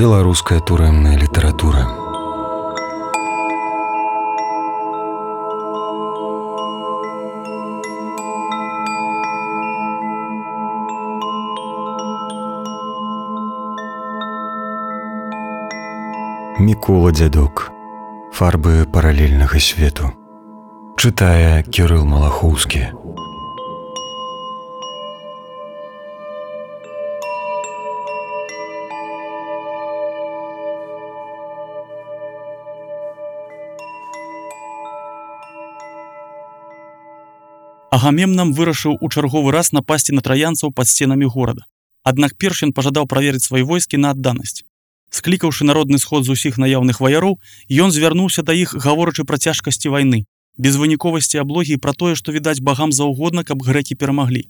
Беларуская турэмная літаратура. Мікола Дзядок. Фарбы паралельнага свету. Чытае Кірыл Малахоўскі. Агамемнам вырашыў у чарговы раз напасці на траянцаў пад сценамі горада. Аднак перш ён пажадаў праверыць свае войскі на адданасць. Склікаўшы народны сход з усіх наяўных ваяроў, ён звярнуўся да іх, гаворачы пра цяжкасці вайны, безвыніковасці аблогі і пра тое, што відаць багам заўгодна, каб грэкі перамаглі.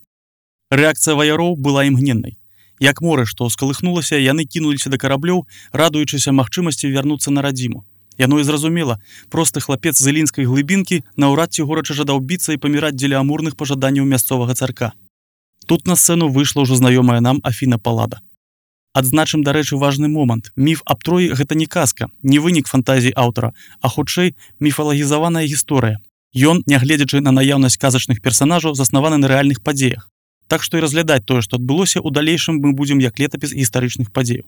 Рэакцыя ваяроў была імгненнай. Як море, што скалыхнулася, яны кінуліся да караблёў, радуючыся магчымасці вярнуцца на радзіму. Яно і зразумела, просты хлапец з ілінскай глыбінкі наўрад ці горача жадаў біцца і паміраць дзеля амурных пажаданняў мясцовага царка. Тут на сцэну выйшла ўжо знаёмая нам Афіна Паллада. Адзначым, дарэчы, важны момант. Міф аб Троі — гэта не казка, не вынік фантазій аўтара, а хутчэй міфалагізаваная гісторыя. Ён, нягледзячы на наяўнасць казачных персанажаў, заснаваны на рэальных падзеях. Так што і разглядаць тое, што адбылося, у далейшым мы будзем як летапіс гістарычных падзеяў.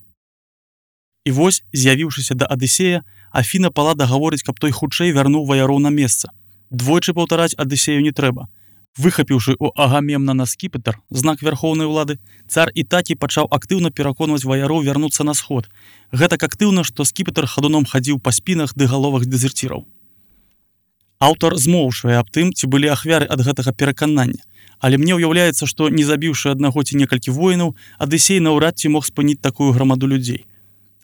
І вось, з'явіўшыся да Адысея, Афіна Паллада гаворыць, каб той хутчэй вярнуў ваяроў на месца. Двойчы паўтараць Адысею не трэба. Выхапіўшы ў Агамемнана скіпетр, знак вярхоўнай улады, цар Ітакі пачаў актыўна пераконваць ваяроў вярнуцца на сход. Гэтак актыўна, што скіпетр хадуном хадзіў па спінах ды галовах дэзерціраў. Аўтар змоўчвае аб тым, ці былі ахвяры ад гэтага пераканання, але мне ўяўляецца, што, не забіўшы аднаго ці некалькі воінаў, Адысей наўрад ці мог спыніць такую грамаду людзей.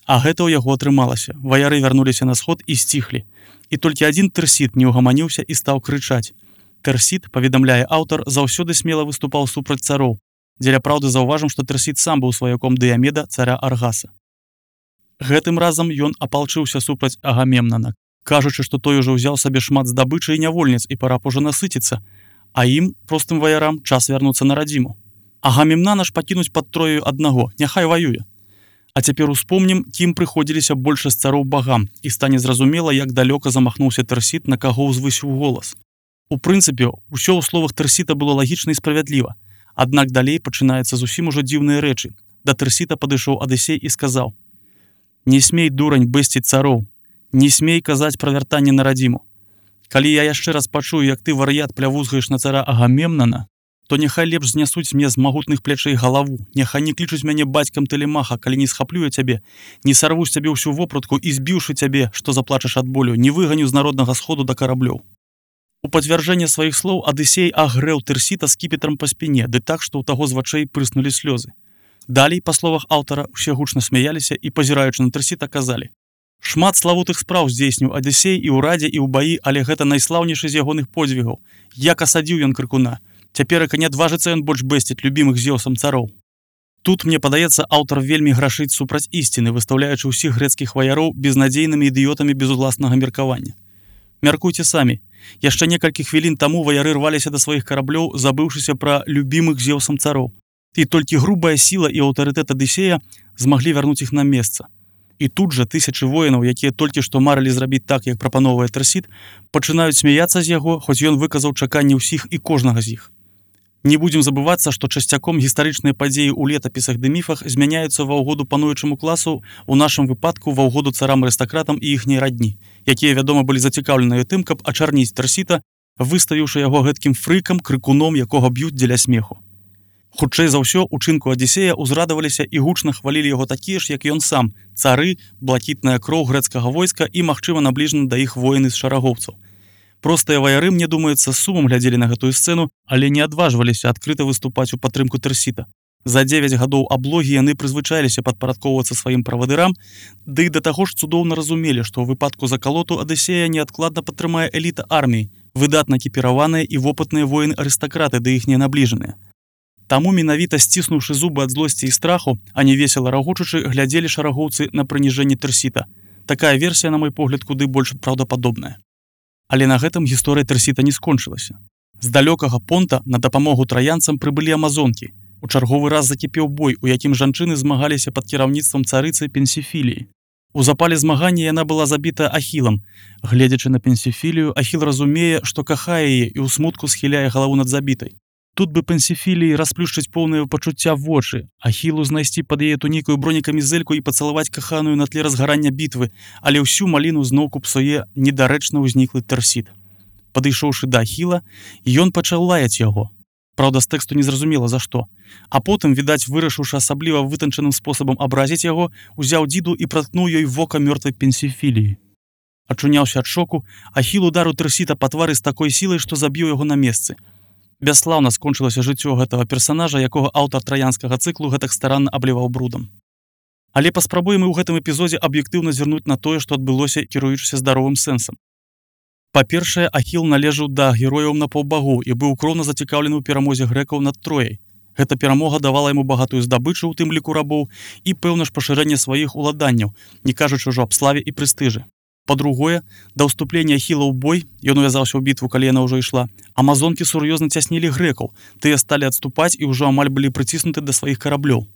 А гэта ў яго атрымалася. Ваяры вярнуліся на сход і сціхлі. І толькі адзін Тэрсіт не ўгаманіўся і стаў крычаць. Тэрсіт, паведамляе аўтар, заўсёды смела выступаў супраць цароў. Дзеля праўды заўважым, што Тэрсіт сам быў сваяком Дыямеда, царя Аргаса. Гэтым разам ён апалчыўся супраць Агамемнана, кажучы, што той ужо ўзяў сабе шмат здабычы і нявольніц і пара б ужо насыціцца, а ім, простым ваярам, час вярнуцца на радзіму. Агамемнана ж пакінуць пад Троею аднаго, няхай ваюе. А цяпер успомнім, кім прыходзіліся большасць цароў багам, і стане зразумела, як далёка замахнуўся Тэрсіт, на каго ўзвысіў голас. У прынцыпе, усё ў словах Тэрсіта было лагічна і справядліва. Аднак далей пачынаецца зусім ужо дзіўныя рэчы. Да Тэрсіта падышоў Адысей і сказаў: «Не смей, дурань, бэсціць цароў, не смей казаць пра вяртанне на радзіму. Калі я яшчэ раз пачую, як ты, вар'ят, плявузгаеш на цара Агамемнана, то няхай лепш знясуць мне з магутных плячэй галаву, няхай не клічуць мяне бацькам Тэлемаха, калі не схаплю я цябе, не сарву з цябе ўсю вопратку і, збіўшы цябе, што заплачаш ад болю, не выганю з народнага сходу да караблёў». У пацвярджэнне сваіх слоў Адысей агрэў Тэрсіта скіпетрам па спіне, ды так, што ў таго з вачэй прыснулі слёзы. Далей, па словах аўтара, усе гучна смяяліся і, пазіраючы на Тэрсіта, казалі: «Шмат славутых спраў здзейсніў Адысей і ў радзе, і ў баі, але гэта найслаўнейшы з ягоных подзвігаў. Як асадзіў ён крыкуна. Цяперака не адважыцца ён больш бэсціць любімых Зеўсам цароў». Тут, мне падаецца, аўтар вельмі грашыць супраць ісціны, выстаўляючы ўсіх грэцкіх ваяроў безнадзейнымі ідыётамі без уласнага меркавання. Мяркуйце самі. Яшчэ некалькі хвілін таму ваяры рваліся да сваіх караблёў, забыўшыся пра любімых Зеўсам цароў. І толькі грубая сіла і аўтарытэт Адысея змаглі вярнуць іх на месца. І тут жа тысячы воінаў, якія толькі што марылі зрабіць так, як прапановвае Тэрсіт, пачынаюць смяяцца з яго, хоць ён выказаў чаканні ўсіх і кожнага з іх. Не будзем забывацца, што часцяком гістарычныя падзеі ў летапісах ды міфах змяняюцца ва ўгоду пануючаму класу, у нашым выпадку ва ўгоду царам-арыстакратам і іхняй радні, якія, вядома, былі зацікаўленыя тым, каб ачарніць Тэрсіта, выставіўшы яго гэткім фрыкам, крыкуном, якога б'юць дзеля смеху. Хутчэй за ўсё, учынку Адысея ўзрадаваліся і гучна хвалілі яго такія ж, як ён сам, цары, блакітная кроў грэцкага войска і, магчыма, набліжаны да іх воіны з шарагоўцаў. Простыя ваяры, мне думаецца, з сумам глядзелі на гэтую сцэну, але не адважваліся адкрыта выступаць у падтрымку Тэрсіта. За 9 гадоў аблогі яны прызвычаіліся падпарадкоўвацца сваім правадырам, ды і да таго ж цудоўна разумелі, што ў выпадку закалоту Адысея неадкладна падтрымае эліта арміі, выдатна экіпіраваныя і вопытныя воіны-арыстакраты ды іхнія набліжаныя. Таму менавіта сціснуўшы зубы ад злосці і страху, а не весела рагочучы, глядзелі шарагоўцы на прыніжэнне Тэрсіта. Такая версія, на мой погляд, куды больш праўдападобная. Але на гэтым гісторыя Тэрсіта не скончылася. З далёкага понта на дапамогу траянцам прыбылі амазонкі. У чарговы раз закіпеў бой, у якім жанчыны змагаліся пад кіраўніцтвам царыцы Пенсіфіліі. У запале змагання яна была забіта Ахілам. Гледзячы на Пенсіфілію, Ахіл разумее, што кахае яе і ў смутку схіляе галаву над забітай. Тут бы Пенсіфіліі расплюшчыць поўнае пачуцця вочы, Ахілу знайсці пад яе тунікаю бронекамізэльку і пацалаваць каханую на тле разгарання бітвы, але ўсю маліну зноўку псуе недарэчна ўзніклы Тэрсіт. Падышоўшы да Ахіла, ён пачаў лаяць яго. Праўда, з тэксту незразумела за што. А потым, відаць, вырашыўшы асабліва вытанчаным спосабам абразіць яго, узяў дзіду і праткнуў ёй вока мёртвай Пенсіфіліі. Ачуняўся ад шоку, Ахіл ударыў Тэрсіта па твары з такой сілай, што забіў яго на месцы. Бясслаўна скончылася жыццё гэтага персанажа, якога аўтар траянскага цыклу гэтак старанна абліваў брудам. Але паспрабуем і ў гэтым эпізодзе аб'ектыўна звярнуць на тое, што адбылося, кіруючыся здаровым сэнсам. Па-першае, Ахіл належаў да герояў напаўбагоў і быў кроўна зацікаўлены ў перамозе грэкаў над Трояй. Гэта перамога давала яму багатую здабычу, у тым ліку рабоў, і пэўна ж пашырэнне сваіх уладанняў, не кажучы ўжо аб славе і прэстыжы. Па-другое, да ўступлення Ахіла ў бой, ён увязаўся ў бітву, калі яна ўжо ішла, амазонкі сур'ёзна цяснілі грэкаў, тыя сталі адступаць і ўжо амаль былі прыціснуты да сваіх караблёў.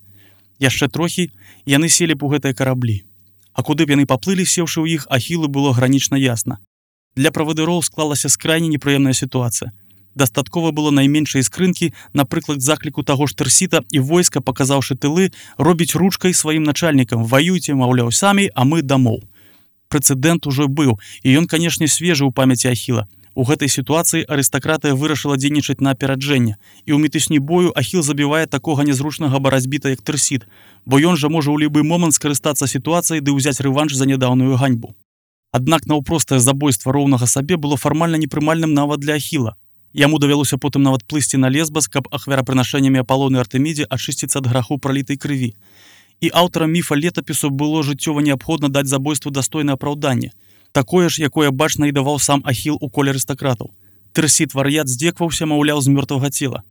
Яшчэ трохі яны селі б у гэтыя караблі. А куды б яны паплылі, сеўшы ў іх, Ахілу было гранічна ясна. Для правадыроў склалася скрайне непрыемная сітуацыя. Дастаткова было найменшай скрынкі, напрыклад, закліку таго ж Тэрсіта, і войска, паказаўшы тылы, робіць ручкай сваім начальнікам: ваюйце, маўляў, самі, а мы дамоў. Прэцэдэнт ужо быў, і ён, канешне, свежы ў памяці Ахіла. У гэтай сітуацыі арыстакратыя вырашыла дзейнічаць на апераджэнне, і ў мітусні бою Ахіл забівае такога нязручнага барацьбіта, як Тэрсіт, бо ён жа можа ў любы момант скарыстацца сітуацыяй ды ўзяць рэванш за нядаўную ганьбу. Аднак наўпростае забойства роўнага сабе было фармальна непрымальным нават для Ахіла. Яму давялося потым нават плысці на Лесбас, каб ахвярапрынашэннямі Апалону і Артэмідзе ачысціцца ад граху пралітай крыві. І аўтарам міфа летапісу было жыццёва неабходна даць забойству дастойнае апраўданне, такое ж, якое бачна і даваў сам Ахіл у коле арыстакратаў. Тэрсіт вар'ят здзекваўся, маўляў, з мёртвага цела.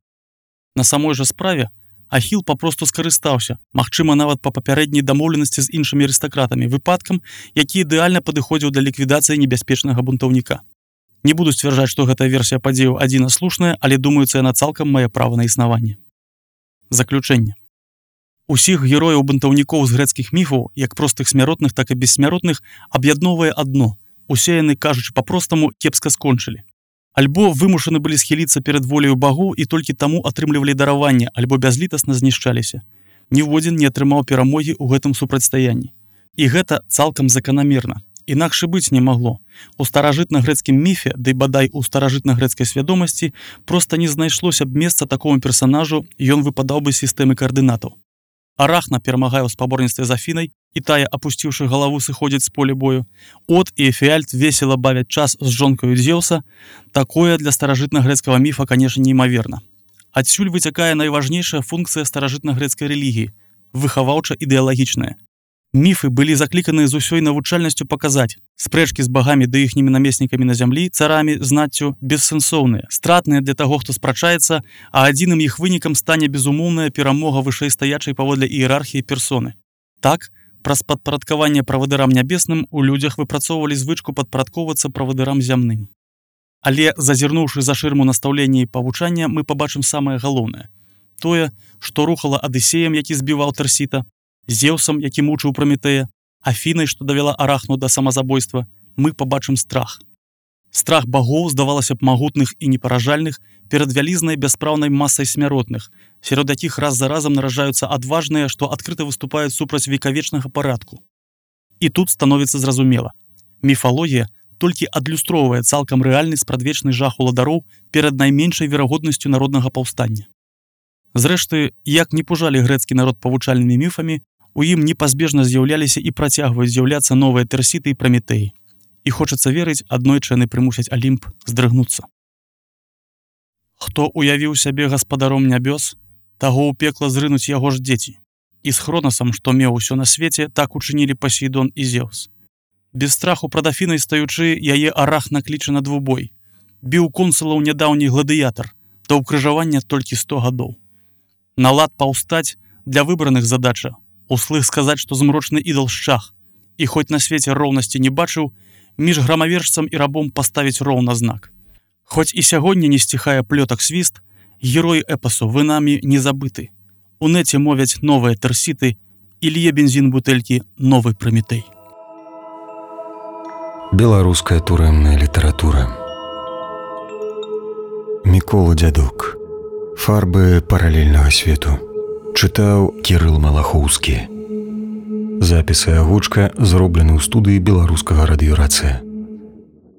На самой жа справе Ахіл папросту скарыстаўся, магчыма, нават па папярэдняй дамоўленасці з іншымі арыстакратамі, выпадкам, які ідэальна падыходзіў для ліквідацыі небяспечнага бунтаўніка. Не буду сцвярджаць, што гэтая версія падзеяў адзінаслушная, але думаюцца, яна цалкам мае права на існаванне. Заключэнне. Усіх герояў бунтаўнікоў з грэцкіх міфаў, як простых смяротных, так і бессмяротных, аб'ядноўвае адно: усе яны, кажучы па-простаму, кепска скончылі. Альбо вымушаны былі схіліцца перад воляю багоў і толькі таму атрымлівалі дараванне, альбо бязлітасна знішчаліся. Ніводзін не атрымаў перамогі ў гэтым супрацьстаянні. І гэта цалкам заканамерна. Інакш быць не магло. У старажытна-грэцкім міфе, ды бадай у старажытна-грэцкай свядомасці, проста не знайшлося б месца такому персанажу, ён выпадаў бы з сістэмы каардынатаў. Арахна перамагае ў спаборніцтве з Афінай, і тая, апусціўшы галаву, сыходзіць з поля бою. От і Эфіальт весела бавяць час з жонкаю Дзеўса. Такое для старажытна-грэцкага міфа, канешне, неймаверна. Адсюль выцякае найважнейшая функцыя старажытна-грэцкай рэлігіі – выхаваўча-ідэалагічная. Міфы былі закліканыя з усёй навучальнасцю паказаць: спрэчкі з багамі ды іхнімі намеснікамі на зямлі, царамі, знаццю, бессэнсоўныя, стратныя для таго, хто спрачаецца, а адзіным іх вынікам стане безумоўная перамога вышэйстаячай паводле іерархіі персоны. Так, праз падпарадкаванне правадырам нябесным у людзях выпрацоўвалі звычку падпарадкоўвацца правадырам зямным. Але, зазірнуўшы за шырму настаўлення і павучання, мы пабачым самае галоўнае. Тое, што рухала Адысеем, які збіваў Тэрсіта, Зеўсам, які мучыў Праметэя, Афінай, што давяла Арахну да самазабойства, мы пабачым страх. Страх багоў, здавалася б, магутных і непаражальных, перад вялізнай бяспраўнай масай смяротных, сярод якіх раз за разам наражаюцца адважныя, што адкрыта выступаюць супраць векавечнага парадку. І тут становіцца зразумела. Міфалогія толькі адлюстроўвае цалкам рэальны спрадвечны жах уладароў перад найменшай верагоднасцю народнага паўстання. Зрэшты, як не пужалі грэцкі народ павучальнымі міфамі, у ім непазбежна з'яўляліся і працягваюць з'яўляцца новыя Тэрсіты і Праметэі. І хочацца верыць, аднойчы яны прымусяць Алімп здрыгнуцца. Хто уявіў сябе гаспадаром нябёс, таго ў пекла зрынуць яго ж дзеці. І з Хронасам, што меў усё на свеце, так учынілі Пасейдон і Зеўс. Без страху прад Афінай стаючы, яе Арахна кліча на двубой. Біў консулаў нядаўні гладыятар, да ўкрыжавання толькі 100 гадоў. На лад паўстаць для выбраных задача, услых сказаць, што змрочны ідал шчах, і хоць на свеце роўнасці не бачыў, між грамавержцам і рабом паставіць роўна знак. Хоць і сягоння не сціхае плётак свіст, герой эпасу, вы намі не забыты. У нэце мовяць новыя тэрсіты і лье бензін бутэлькі новы Прамітэй. Беларуская турэмная літаратура. Мікола Дзядок. Фарбы паралельнага свету. Чытаў Кірыл Малахоўскі. Запісы агучка зроблены ў студыі беларускага радыёрацыя.